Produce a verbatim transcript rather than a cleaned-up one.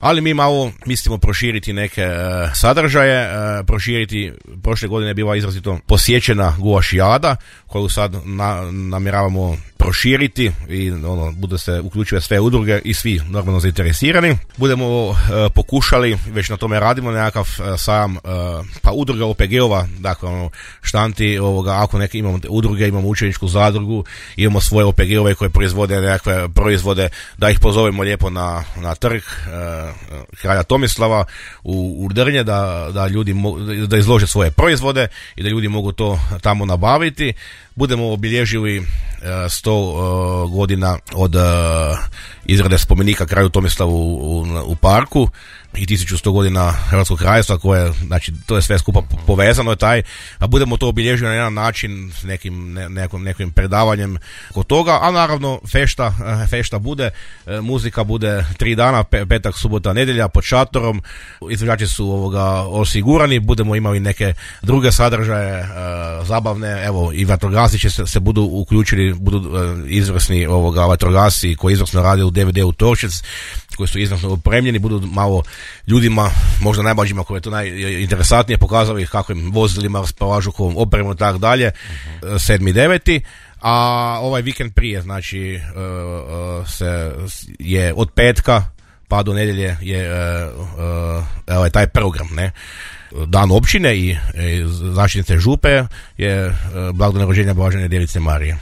Ali mi malo mislimo proširiti neke uh, sadržaje, uh, proširiti, prošle godine je bila izrazito posjećena guašijada, koju sad na, namjeravamo proširiti i ono, bude se uključive sve udruge i svi normalno zainteresirani. Budemo uh, pokušali, već na tome radimo, nekakav uh, sajam uh, pa udruga O P G-ova, dakle ono, štanti ovoga, ako neke imamo udruge, imamo učeničku zadrugu, imamo svoje O P G-ove koje proizvode nekakve proizvode, da ih pozovemo lijepo na, na trg uh, kralja Tomislava u, u Drnje, da, da ljudi mo, da izlože svoje proizvode i da ljudi mogu to tamo nabaviti. Budemo obilježili uh, sto uh, godina od uh, izrade spomenika kralju Tomislavu u, u, u parku i tisuću sto godina Hrvatskog kraljevstva, koje, znači, to je sve skupa povezano je taj, a budemo to obilježili na jedan način s nekim, ne, nekom, nekim predavanjem kod toga, a naravno fešta, fešta bude, muzika bude tri dana, petak, subota, nedjelja pod šatorom, izvođači su ovoga osigurani, budemo imali neke druge sadržaje, zabavne, evo i vatrogasci će se, se budu uključili, budu izvrsni ovoga vatrogasci koji izvrsno rade u D V D-u Torčec, koji su izvrsno opremljeni, budu malo ljudima, možda najmlađima koji je to najinteresantnije, pokazali kakvim vozilima raspolažu, kakvom opremom i tako dalje, sedmi deveti A ovaj vikend prije, znači uh, uh, se je od petka pa do nedjelje je uh, uh, taj program, ne? Dan općine i, i zaštitnice župe je uh, blagdan rođenja Blažene Djevice Marije.